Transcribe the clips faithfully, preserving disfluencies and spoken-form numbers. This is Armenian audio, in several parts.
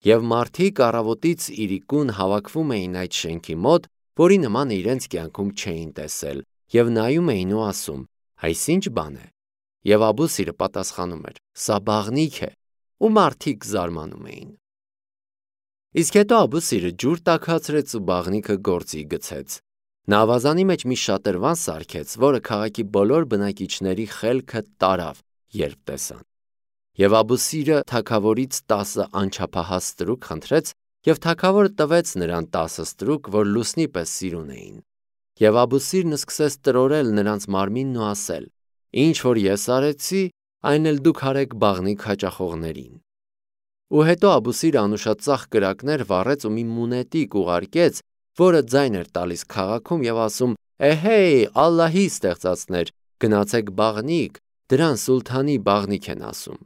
Եվ մարդիկ առավոտից իրիկուն հավաքվում էին այդ շենքի մոտ, որի նման իրենց կյանքում չէին տեսել, և նայում էին ու ասում. «Այս ի՞նչ բան է»։ Եվ Աբու-Սիրը պատասխանում էր. «Սա բաղնիք է», ու մարդիկ զարմանում էին։ Իսկ հետո Աբու-Սիրը ջուր տաքացրեց ու բաղնիքը գործի գցեց։ Նա ավազանի մեջ մի շատրվան սարքեց, որը քաղաքի բոլոր բնակիչների խելքը տարավ, երբ տեսան։ Եվ Աբու-Սիրը թագավորից տասը անչափահաս ստրուկ խնդրեց, և թագավորը տվեց նրան տասը ստրուկ, որ լուսնի պես սիրուն էին։ Եվ Աբու-Սիրն սկսեց տրորել նրանց մարմինն ու ասել. «Ինչ որ ես արեցի, այն էլ դուք արեք բաղնիք հաճախողներին»։ Ու հետո Աբու-Սիրը անուշածախ կրակներ վառեց ու մի մունետիկ ուղարկեց, որը ձայն էր տալիս քաղաքում և ասում. «Էհեյ, Ալլահի ստեղծածներ, գնացեք բաղնիք, դրան սուլթանի բաղնիք են ասում»։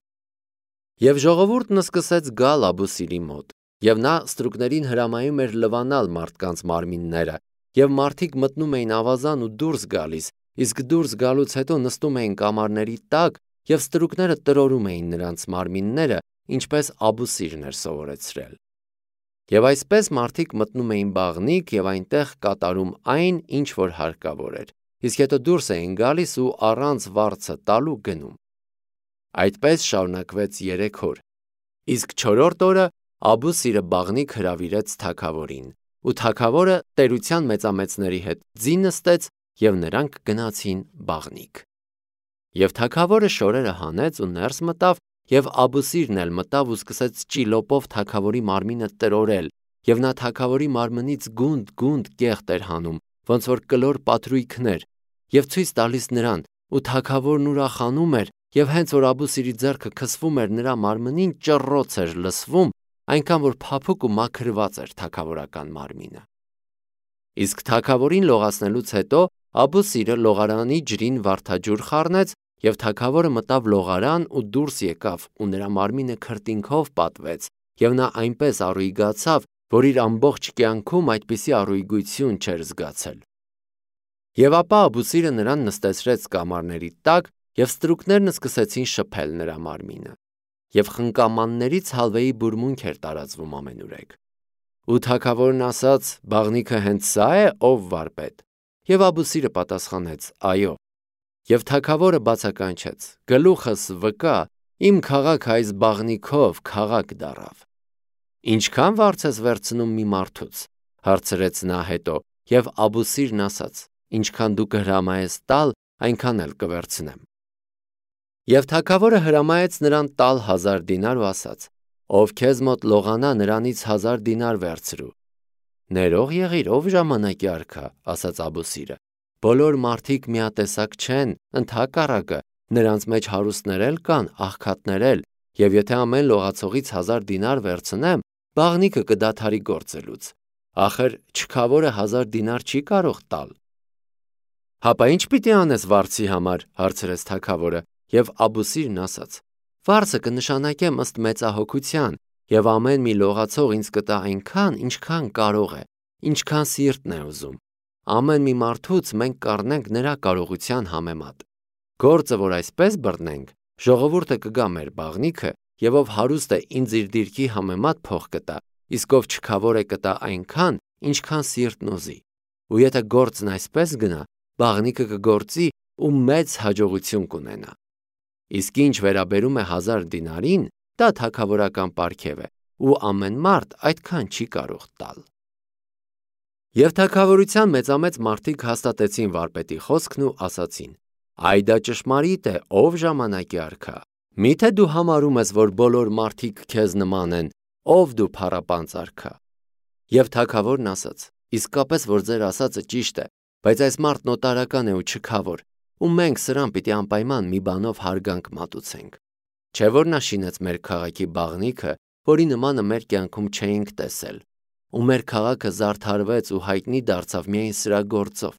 Եվ ժողովուրդն սկսեց գալ Աբու-Սիրի մոտ, և նա ստրուկներին հրամայում էր լվանալ մարդկանց մարմինները, և մարդիկ մտնում էին ավազան ու դուրս գալիս, իսկ դուրս գալուց հետո նստում էին կամարների տակ, և ստրուկները տրորում էին նրանց մարմինները, ինչպես Աբու-Սիրն էր սովորեցրել։ Եվ այսպես մարդիկ մտնում էին բաղնիք և այնտեղ կատարում այն, ինչ որ հարկավոր էր, իսկ հետո դուրս էին գալիս ու առանց վարձը տալու գնում։ Այդպես շարունակվեց երեք օր։ Իսկ չորրորդ օրը Աբու-Սիրը բաղնիք հրավիրեց թագավորին, ու թագավորը տերության մեծամեծների հետ ձի նստեց, և նրանք գնացին բաղնիք։ Եվ թագավորը շորերը հանեց ու ներս մտավ, և Աբու-Սիրն էլ մտավ ու սկսեց ճիլոպով թագավորի մարմինը տրորել, և նա թագավորի մարմնից գունդ-գունդ կեղտ էր հանում, ոնց որ կլոր պատրույգներ, և ցույց տալիս նրան, ու թագավորն ուրախանում էր, և հենց որ Աբու-Սիրի ձեռքը քսվում էր նրա մարմնին, ճռռոց էր լսվում, այնքան որ փափուկ ու մաքրված էր թագավորական մարմինը։ Իսկ թագավորին լողացնելուց հետո Աբու-Սիրը լողարանի ջրին վարդաջուր խառնեց, և թագավորը մտավ լողարան ու դուրս եկավ, ու նրա մարմինը քրտինքով պատվեց, և նա այնպես առույգացավ, որ իր ամբողջ կյանքում այդպիսի առույգություն չէր զգացել։ Եվ ապա Աբու-Սիրը նրան նստեցրեց կամարների տակ, և ստրուկներն սկսեցին շփել նրա մարմինը։ Եվ խնկամաններից հալվեի բուրմունք էր տարածվում ամենուրեք։ Ու թագավորն ասաց. «Բաղնիքը հենց սա՞ է, ով վարպետ»։ Եվ Աբու-Սիրը պատասխանեց. «Այո»։ Եվ թագավորը բացականչեց. «Գլուխս վկա, իմ քաղաքը այս բաղնիքով քաղաք դառավ»։ «Ինչքա՞ն վարձ ես վերցնում մի մարդուց»։ Հարցրեց նա հետո, և Աբու-Սիրն ասաց. «Ինչքան դու կհրամայես տալ, այնքան էլ կվերցնեմ»։ Եվ թագավորը հրամայեց նրան տալ հազար դինար ու ասաց. «Ով քեզ մոտ լողանա, նրանից հազար դինար վերցրու»։ «Ներող եղիր, ով ժամանակի արքա», ասաց Աբու-Սիրը։ «Բոլոր մարդիկ միատեսակ չեն, ընդհակառակը, նրանց մեջ հարուստներ էլ կան, աղքատներ էլ, և եթե ամեն լողացողից հազար դինար վերցնեմ, բաղնիքը կդադարի գործելուց։ Ախր չքավորը հազար դինար չի կարող տալ»։ «Հապա ի՞նչ պիտի անես վարձի համար», հարցրեց թագավորը, և Աբու-Սիրն ասաց. «Վարձը կնշանակեմ ըստ մեծահոգության, և ամեն մի լողացող ինձ կտա այնքան, ինչքան կարող է, ինչքան սիրտն է ուզում։ Ամեն մի մարդուց մենք կառնենք նրա կարողության համեմատ։ Գործը որ այսպես բռնենք, ժողովուրդը կգա մեր բաղնիքը, և ով հարուստ է, ինձ իր դիրքի համեմատ փող կտա, իսկ ով չքավոր է, կտա այնքան, ինչքան սիրտն ուզի։ Ու եթե գործն այսպես գնա, բաղնիքը կգործի ու մեծ հաջողություն կունենա։ Իսկ ինչ վերաբերում է հազար դինարին, դա թագավորական պարգև է, ու ամեն մարդ այդքան չի կարող տալ»։ Եվ թագավորության մեծամեծ մարդիկ հաստատեցին վարպետի խոսքն ու ասացին. «Այ դա ճշմարիտ է, ով ժամանակի արքա։ Մի՞թե դու համարում ես, որ բոլոր մարդիկ քեզ նման են, ով դու փառապանծ արքա»։ Եվ թագավորն ասաց. «Իսկապես որ ձեր ասածը ճիշտ է, բայց այս մարդն օտարական է ու չքավոր, ու մենք սրան պիտի անպայման մի բանով հարգանք մատուցենք։ Չէ՞ որ նա շինեց մեր քաղաքի բաղնիքը, որի նմանը մեր կյանքում չէինք տեսել, ու մեր քաղաքը զարդարվեց ու հայտնի դարձավ միայն սրա գործով։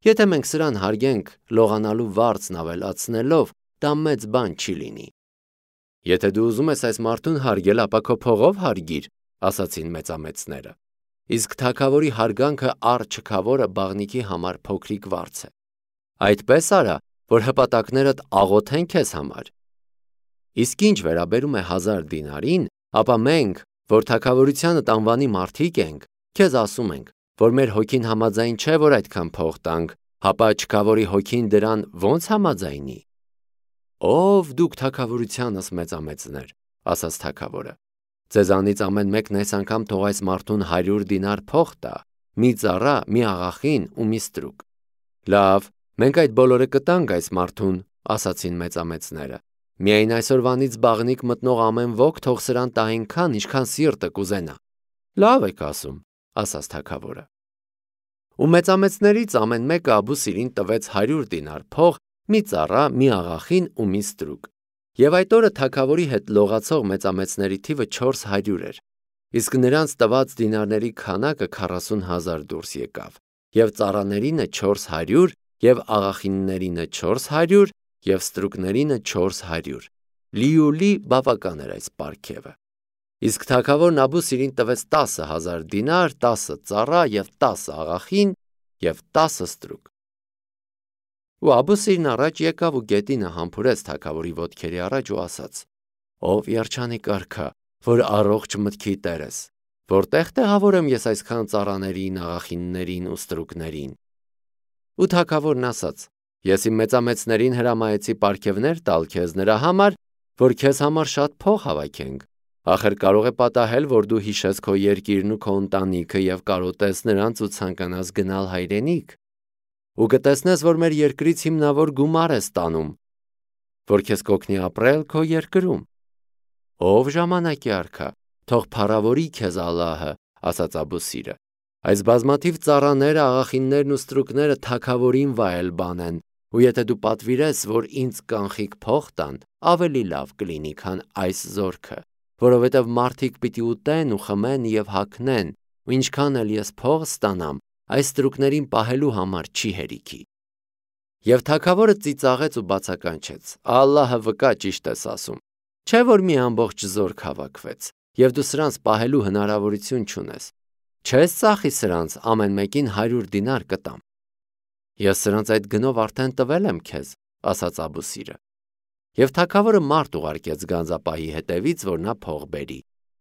Եթե մենք սրան հարգենք լողանալու վարձն ավելացնելով, դա մեծ բան չի լինի»։ «Եթե դու ուզում ես այս մարդուն հարգել, ապա քո փողով հարգիր», ասացին մեծամեծները։ Իսկ թագավորի հարգանքը առ չքավորը բաղնիքի համար փոքրիկ վարձ է։ Այդպես արա, որ հպատակներդ աղոթեն քեզ համար։ Իսկ ինչ վերաբերում է հազար դինարին, ապա մենք, որ թագավորությանդ անվանի մարդիկ ենք, քեզ ասում ենք, որ մեր հոգին համաձայն չէ, որ այդքան փող տանք, հապա չքավորի հոգին դրան ո՞նց համաձայնի։ Ով դուք թագավորությանս մեծամեծներ, ասաց թագավորը, ձեզանից ամեն մեկն այս անգամ թող այս մարդուն հարյուր դինար փող տա, մի ծառա, մի աղախին ու մի ստրուկ։ Լավ, մենք այդ բոլորը կտանք այս մարդուն, ասացին մեծամեծները։ Միայն այսօրվանից բաղնիք մտնող ամեն ոք թող սրան տա այնքան, ինչքան սիրտը կուզենա։ Լավ եք ասում, ասաց թագավորը։ Ու մեծամեծներից ամեն մեկը Աբուսիրին տվեց հարյուր դինար փող, մի ծառա, մի աղախին ու մի ստրուկ։ Եվ այդ օրը թագավորի հետ լողացող մեծամեծների թիվը չորս հարյուր էր, իսկ նրանց տված դինարների քանակը քառասուն հազար դուրս եկավ, եւ ծառաներինը չորս հարյուր, եւ աղախիններինը չորս հարյուր, եւ ստրուկներինը չորս հարյուր։ Լիուլի բավական էր այս պարգևը։ Իսկ թագավորն Աբուսիրին տվեց տասը հազար դինար, տասը ծառա եւ տասը աղախին եւ տասը ստրուկ։ Ու Աբուսիրն առաջ եկավ ու գետինը համբուրեց թագավորի ոտքերի առաջ ու ասաց. Ով երջանիկ արքա, որ առողջ մտքի տեր ես, որտեղ տեղավորեմ ես այսքան ծառաներին, աղախիններին ու ստրուկներին։ Ու թագավորն ասաց. Ես իմ մեծամեծներին հրամայեցի պարգևներ տալ քեզ նրա համար, որ քեզ համար շատ փող հավաքենք։ Ախր կարող է պատահել, որ դու հիշես քո երկիրն ու քո ընտանիքը եւ կարոտես նրանց ու ցանկանաս գնալ հայրենիք։ Ու կտեսնես, որ մեր երկրից հիմնավոր գումար ես տանում, որ քեզ կօգնի ապրել քո երկրում։ Ով ժամանակի արքա, թող փառավորի քեզ Ալլահը, ասաց Աբուսիրը։ Այս բազմաթիվ ծառաները, աղախիններն ու ստրուկները թագավորին վայել բան են, ու եթե դու պատվիրես, որ ինձ կանխիկ փող տան, ավելի լավ կլինի, քան այս զորքը, որովհետև մարդիկ պիտի ուտեն ու խմեն եւ հագնեն, ու ինչքան էլ ես փող ստանամ, այս ստրուկներին պահելու համար չի հերիքի։ Եվ թագավորը ծիծաղեց ու բացականչեց. Ալլահը վկա ճիշտ ես ասում, չէ՞ որ մի ամբողջ զորք հավաքվեց, եւ դու սրանց պահելու հնարավորություն չունես։ Չես ծախի սրանց ամեն մեկին հարյուր դինար կտամ։ Ես սրանց այդ գնով արդեն տվել եմ քեզ, ասաց Աբուսիրը։ Եվ թագավորը մարդ ուղարկեց գանձապահի հետևից, որ նա փող բերի։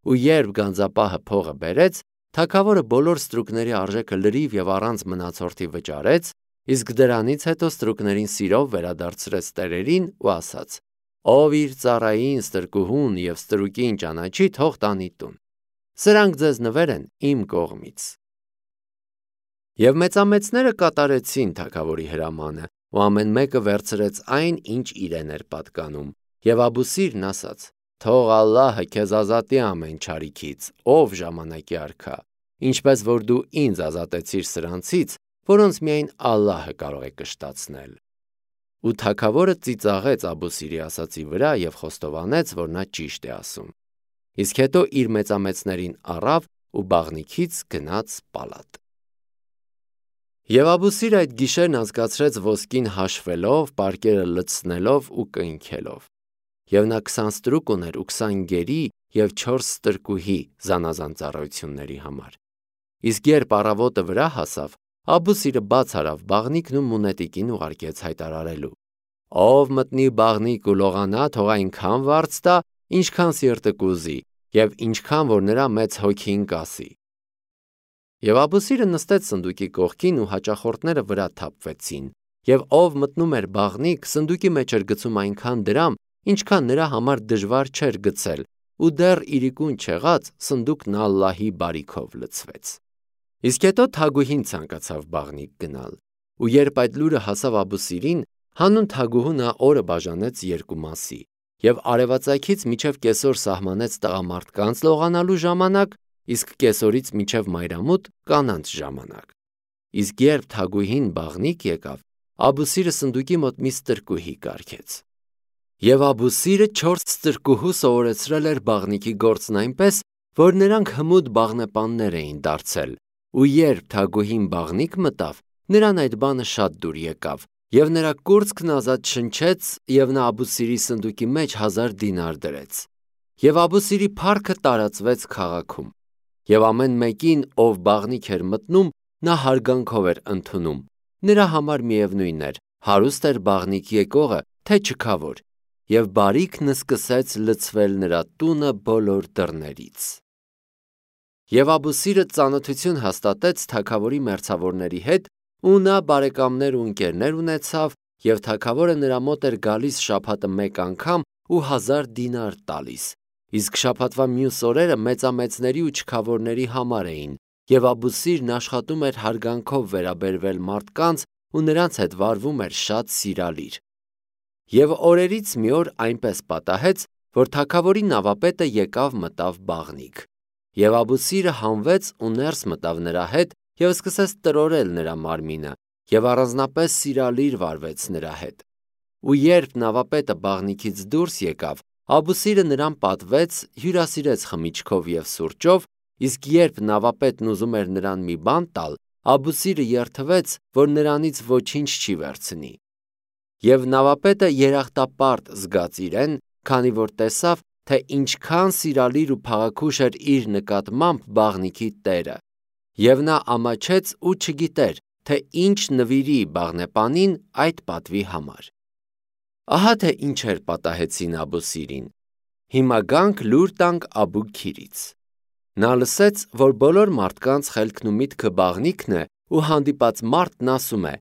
Ու երբ գանձապահը փողը բերեց, թագավորը բոլոր ստրուկների արժեքը լրիվ եւ առանց մնացորդի վճարեց, իսկ դրանից հետո ստրուկներին սիրով վերադարձրեց տերերին ու ասաց. Ով իր ծառային, ստրկուհուն եւ ստրուկին ճանաչի, թող տանի տուն։ Սրանք ձեզ նվեր են իմ կողմից։ Եվ մեծամեծները կատարեցին թագավորի հրամանը, ու ամեն մեկը վերցրեց այն, ինչ իրեն էր պատկանում, եւ Աբուսիրն ասաց. Թող Ալլահը քեզ ազատի ամեն չարիքից, ով ժամանակի արքա, ինչպես որ դու ինձ ազատեցիր սրանցից, որոնց միայն Ալլահը կարող է կշտացնել։ Ու թագավորը ծիծաղեց Աբուսիրի ասածի վրա եւ խոստովանեց, որ նա ճիշտ է ասում։ Իսկ հետո իր մեծամեծներին առավ ու բաղնիքից գնաց պալատ։ Եվ Աբուսիրը այդ գիշերն անցկացրեց ոսկին հաշվելով, պարկերը լցնելով ու կնքելով։ Եվ նա քսան ստրուկ ուներ ու քսան գերի եւ չորս ստրկուհի զանազան ծառայությունների համար։ Իսկ երբ առավոտը վրա հասավ, Աբուսիրը բաց արավ բաղնիքն ու մունետիկին ուղարկեց հայտարարելու. Ով մտնի բաղնիկ ու լողանա, թող այնքան վարձ տա, ինչքան սիրտը կուզի, եւ ինչքան որ նրա մեծ հոգին կասի։ Եվ Աբուսիրը նստեց սնդուկի կողքին ու հաճախորդները վրա թափվեցին, եւ ով մտնում էր բաղնիկ, սնդուկի մեջ էր գցում այնքան դրամ, ինչքան նրա համար դժվար չէր գցել, ու դեռ իրիկուն չեղած սնդուկն Ալլահի բարիքով լցվեց։ Իսկ հետո թագուհին ցանկացավ բաղնիկ գնալ, ու երբ այդ լուրը հասավ Աբուսիրին, հանուն թագուհու նա օրը բաժանեց երկու մասի, եւ արևածագից մինչև կեսօր սահմանեց տղամարդկանց լողանալու ժամանակ, իսկ կեսօրից մինչև մայրամուտ կանանց ժամանակ։ Իսկ երբ թագուհին բաղնիկ եկավ, Աբուսիրը սնդուկի մոտ մի ստրկուհի կարգեց։ Եվ Աբուսիրը չորս ստրկուհու սովորեցրել էր բաղնիկի գործն այնպես, որ նրանք հմուտ բաղնեպաններ էին դարձել, ու երբ թագուհին բաղնիկ մտավ, նրան այդ բանը շատ դուր եկավ, եւ նրա կուրծքն ազատ շնչեց, եւ նա Աբուսիրի սնդուկի մեջ հազար դինար դրեց։ Եվ Աբուսիրի փառքը տարածվեց քաղաքում, եւ ամեն մեկին, ով բաղնիկ էր մտնում, նա հարգանքով էր ընդունում։ Նրա համար միևնույն էր, հարուստ էր բաղնիկ եկողը, թե չքավոր, եւ բարիքն սկսեց լցվել նրա տունը բոլոր դռներից։ Եվ Աբուսիրը ծանոթություն հաստատեց թագավորի մերձավորների հետ, ու նա բարեկամներ ու ընկերներ ունեցավ, եւ թագավորը նրա մոտ էր գալիս շաբաթը մեկ անգամ ու հազար դինար տալիս, իսկ շաբաթվա մյուս օրերը մեծամեծների ու չքավորների համար էին, եւ Աբուսիրն աշխատում էր հարգանքով վերաբերվել մարդկանց ու նրանց հետ վարվում էր շատ սիրալիր։ Եվ օրերից մի օր այնպես պատահեց, որ թագավորի նավապետը եկավ մտավ բաղնիք, եւ Աբուսիրը հանվեց ու ներս մտավ նրա հետ եւ սկսեց տրորել նրա մարմինը եւ առանձնապես սիրալիր վարվեց նրա հետ։ Ու երբ նավապետը բաղնիքից դուրս եկավ, Աբուսիրը նրան պատվեց, հյուրասիրեց խմիչքով եւ սուրճով, իսկ երբ նավապետն ուզում էր նրան մի բան տալ, Աբուսիրը երդվեց, որ նրանից ոչինչ չի վերցնի։ Եվ նավապետը երախտապարտ զգաց իրեն, քանի որ տեսավ, թե ինչքան սիրալիր ու փաղաքուշ էր իր նկատմամբ բաղնիքի տերը, եւ նա ամաչեց ու չգիտեր, թե ինչ նվիրի բաղնեպանին այդ պատվի համար։ Ահա թե ինչեր պատահեցին Աբուսիրին։ Հիմա գանք լուր տանք Աբուքիրից։ Նա լսեց, որ բոլոր մարդկանց խելքն ու միտքը բաղնիքն է, ու հանդիպած մարդն ասում է.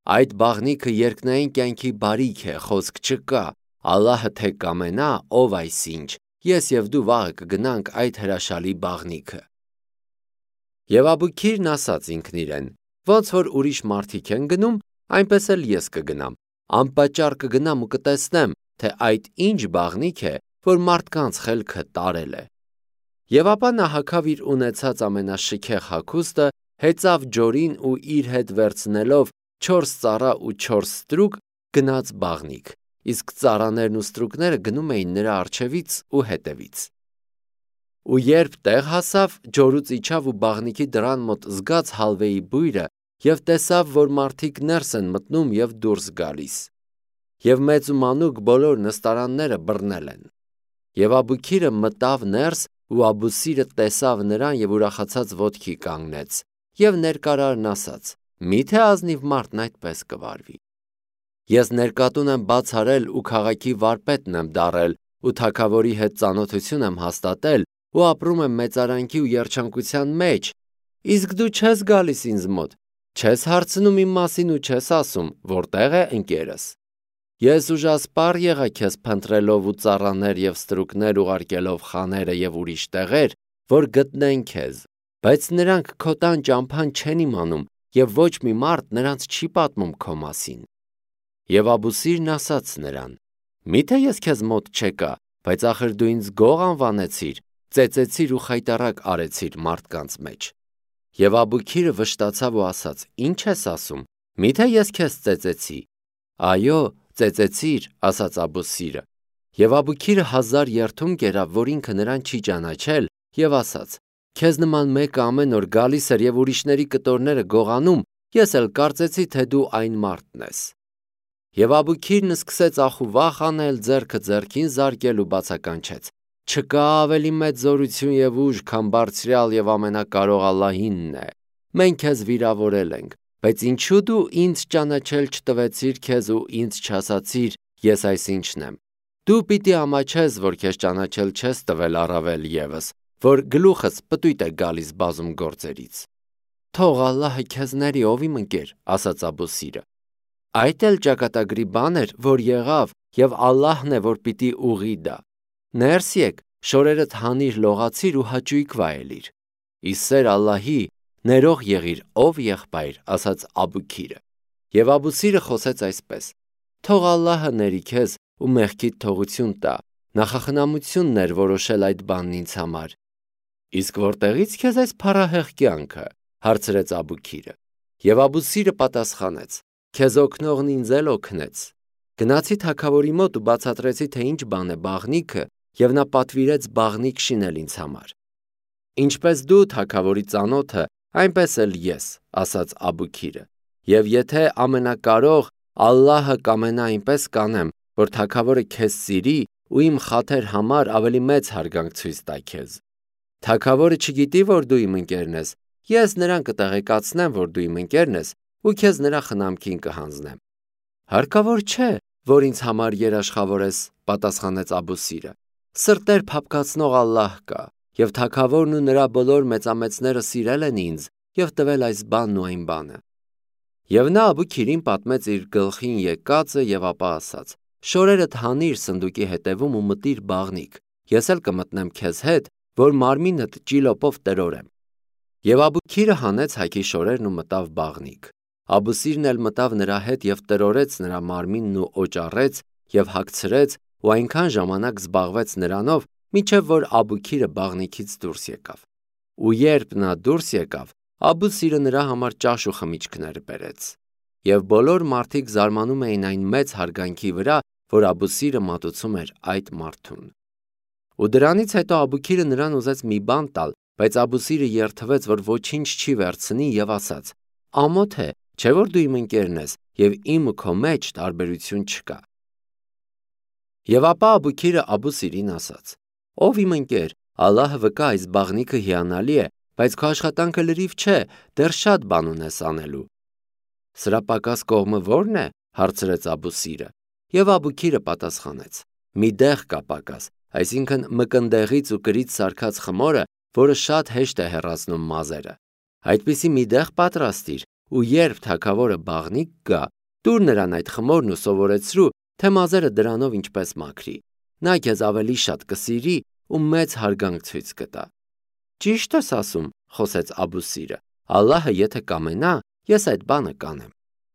այդ բաղնիքը երկնային կյանքի բարիք է, խոսք չկա, Ալլահը թե կամենա, ով այսինչ, ես եւ դու վաղը կգնանք այդ հրաշալի բաղնիքը։ Եվ Աբուքիրն ասաց ինքն իրեն. ոնց որ ուրիշ մարդիկ են գնում, այնպես էլ ես կգնամ, անպատճառ կգնամ ու կտեսնեմ, թե այդ ինչ բաղնիք է, որ մարդկանց խելքը տարել է։ Եվ ապա նա հագավ իր ունեցած ամենաշքեղ հագուստը, հեծավ ջորին ու իր հետ վերցնելով չորս ծառա ու չորս ստրուկ գնաց բաղնիք, իսկ ծառաներն ու ստրուկները գնում էին նրա առջևից ու հետևից։ Ու երբ տեղ հասավ, ջորուց իջավ ու բաղնիքի դռան մոտ զգաց հալվեի բույրը եւ տեսավ, որ մարդիկ ներս են մտնում եւ դուրս գալիս։ Եվ մեծ ու մանուկ բոլոր նստարանները բռնել են։ Եվ Աբուքիրը մտավ ներս, ու Աբուսիրը տեսավ նրան եւ ուրախացած ոտքի կանգնեց, եւ ներկարարն ասաց. միթե ազնիվ մարդն այդպես կվարվի։ Ես ներկատուն եմ բացարել ու քաղաքի վարպետն եմ դառել ու թագավորի հետ ծանոթություն եմ հաստատել ու ապրում եմ մեծարանքի ու երջանկության մեջ, իսկ դու չես գալիս ինձ մոտ, չես հարցնում իմ մասին ու չես ասում, որտեղ է ընկերս։ Ես ուժասպառ եղա քեզ փնտրելով ու ծառաներ եւ ստրուկներ ուղարկելով խաները եւ ուրիշ տեղեր, որ գտնեն քեզ, բայց նրանք քո տան ճամփան չեն իմանում եւ ոչ մի մարդ նրանց չի պատմում քո մասին։ Եվ Աբուսիրն ասաց նրան. միթե ես քեզ մոտ չեկա, բայց ախր դու ինձ գող անվանեցիր, ծեծեցիր ու խայտառակ արեցիր մարդկանց մեջ։ Եվ Աբուքիրը վշտացավ ու ասաց. ինչ ես ասում, միթե ես քեզ ծեծեցի։ Այո, ծեծեցիր, ասաց Աբուսիրը։ Եվ Աբուքիրը հազար երդում կերավ, որ ինքը նրան չի ճանաչել, եւ ասաց. քեզ նման մեկը ամեն օր գալիս էր եւ ուրիշների կտորները գողանում, ես էլ կարծեցի, թե դու այն մարդն ես։ Եվ Աբուքիրն սկսեց ախուվախ անել, ձեռքը ձեռքին զարկել ու բացականչեց. չկա ավելի մեծ զորություն եւ ուժ, քան բարձրյալ եւ ամենակարող Ալլահինն է։ Մենք քեզ վիրավորել ենք, բայց ինչու դու ինձ ճանաչել չտվեցիր քեզ ու ինձ չասացիր, ես այսինչն եմ։ Դու պիտի ամաչես, որ քեզ ճանաչել չես տվել առավել եւս, որ գլուխս պտույտ է գալիս բազում գործերից։ Թող Ալլահը քեզ ների, ով իմ ընկեր, ասաց Աբուսիրը։ Այդ էլ ճակատագրի բան էր, որ եղավ, եւ Ալլահն է, որ պիտի ուղի դա։ Ներս եկ, շորերդ հանիր, լողացիր ու հաճույք վայելիր։ Իսեր Ալլահի, ներող եղիր, ով եղբայր, ասաց Աբուքիրը։ Եվ Աբուսիրը խոսեց այսպես. թող Ալլահը ների քեզ ու մեղքիդ թողություն տա, նախախնամությունն էր որոշել այդ բանն ինձ համար։ Իսկ որտեղից քեզ այս փառահեղ կյանքը, հարցրեց Աբուքիրը։ Եվ Աբուսիրը պատասխանեց. քեզ օգնողն ինձ էլ օգնեց։ Գնացի թագավորի մոտ ու բացատրեցի, թե ինչ բան է բաղնիքը, եւ նա պատվիրեց բաղնիք շինել ինձ համար։ Ինչպես դու թագավորի ծանոթը, այնպես էլ ես, ասաց Աբուքիրը։ Եվ եթե ամենակարող Ալլահը կամենա, այնպես կանեմ, որ թագավորը քեզ սիրի ու իմ խաթեր համար ավելի մեծ հարգանք ցույց տա քեզ։ Թագավորը չգիտի, որ դու իմ ընկերն ես, ես նրան կտեղեկացնեմ, որ դու իմ ընկերն ես ու քեզ նրա խնամքին կհանձնեմ։ Հարկավոր չէ, որ ինձ համար երաշխավորես, պատասխանեց Աբուսիրը։ Սրտեր փափկացնող Ալլահ կա, եւ թագավորն ու նրա բոլոր մեծամեծները սիրել են ինձ եւ տվել այս բանն ու այն բանը։ Եվ նա Աբուքիրին պատմեց իր գլխին եկածը եւ ապա ասաց. շորերդ հանիր սնդուկի հետևում ու մտիր բաղնիք, ես էլ կմտնեմ քեզ հետ, որ մարմինդ ճիլոպով տրորեմ։ Եվ Աբուքիրը հանեց հայքի շորերն ու մտավ բաղնիք։ Աբուսիրն էլ մտավ նրա հետ եւ տրորեց նրա մարմինն ու օճառեց եւ հագցրեց ու այնքան ժամանակ զբաղվեց նրանով, մինչև որ Աբուքիրը բաղնիքից դուրս եկավ։ Ու երբ նա դուրս եկավ, Աբուսիրը նրա համար ճաշ ու խմիչքներ բերեց։ Եվ բոլոր մարդիկ զարմանում էին այն մեծ հարգանքի վրա, որ Աբուսիրը մատուցում էր այդ մարդուն։ Ու դրանից հետո Աբուքիրը նրան ուզեց մի բան տալ, բայց Աբուսիրը երդվեց, որ ոչինչ չի վերցնի եւ ասաց. ամոթ է, չէ՞ որ դու իմ ընկերն ես եւ իմ ու քո մեջ տարբերություն չկա։ Եվ ապա Աբուքիրը Աբուսիրին ասաց. ով իմ ընկեր, Ալլահը վկա, այս բաղնիքը հիանալի է, բայց քո աշխատանքը լրիվ չէ, դեռ շատ բան ունես անելու։ Սրա պակաս կողմը ո՞րն է, հարցրեց Աբուսիրը։ Եվ Աբուքիրը պատասխանեց. մի դեղ կա պակաս, այսինքն մկնդեղից ու կրից սարքած խմորը, որը շատ հեշտ է հեռացնում մազերը։ Այդպիսի մի դեղ պատրաստիր, ու երբ թագավորը բաղնիք գա, տուր նրան այդ խմորն ու սովորեցրու, թե մազերը դրանով ինչպես մաքրի։ Նա քեզ ավելի շատ կսիրի ու մեծ հարգանք ցույց կտա։ Ճիշտ ես ասում, խոսեց Աբուսիրը, Ալլահը եթե կամենա, ես այդ բանը կանեմ։